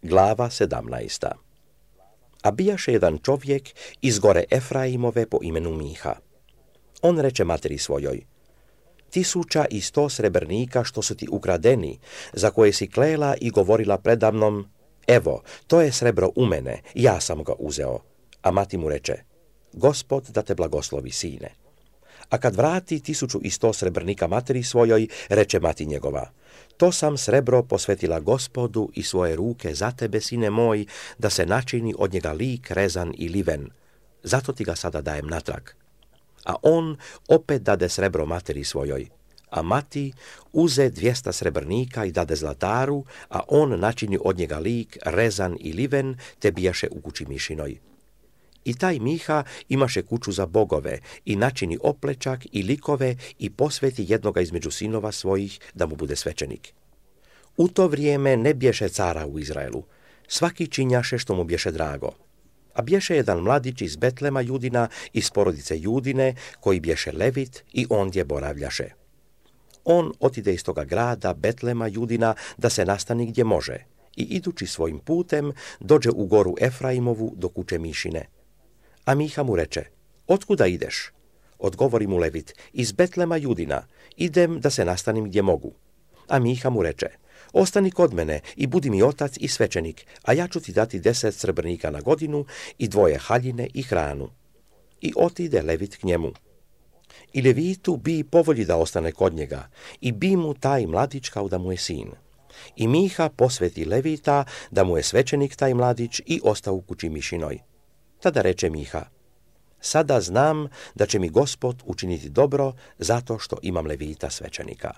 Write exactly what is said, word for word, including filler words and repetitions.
Glava sedamnaesta. A bijaše jedan čovjek iz gore Efraimove po imenu Miha. On reče materi svojoj: tisuća i sto srebrnika što su ti ukradeni, za koje si klela i govorila predamnom: evo, to je srebro u mene, ja sam ga uzeo. A mati mu reče: Gospod da te blagoslovi, sine. A kad vrati tisuću i sto srebrnika materi svojoj, reče mati njegova: to sam srebro posvetila Gospodu i svoje ruke za tebe, sine moj, da se načini od njega lik rezan i liven. Zato ti ga sada dajem natrag. A on opet dade srebro materi svojoj. A mati uze dvijesta srebrnika i dade zlataru, a on načini od njega lik rezan i liven, te bijaše u kući mišinoj. I taj Miha imaše kuću za bogove i načini oplečak i likove i posveti jednoga između sinova svojih da mu bude svećenik. U to vrijeme ne bješe cara u Izraelu, svaki činjaše što mu bješe drago. A bješe jedan mladić iz Betlema Judina, iz porodice Judine, koji bješe Levit i ondje boravljaše. On otide iz toga grada Betlema Judina da se nastani gdje može i idući svojim putem dođe u goru Efraimovu do kuće Mišine. A Miha mu reče: otkuda ideš? Odgovori mu Levit: iz Betlema Judina, idem da se nastanim gdje mogu. A Miha mu reče: ostani kod mene i budi mi otac i svećenik, a ja ću ti dati deset srebrnika na godinu i dvoje haljine i hranu. I otide Levit k njemu. I Levitu bi povolji da ostane kod njega, i bi mu taj mladić kao da mu je sin. I Miha posveti Levita da mu je svećenik taj mladić i ostao u kući Mišinoj. Tada reče Miha: sada znam da će mi Gospod učiniti dobro zato što imam Levita svećenika.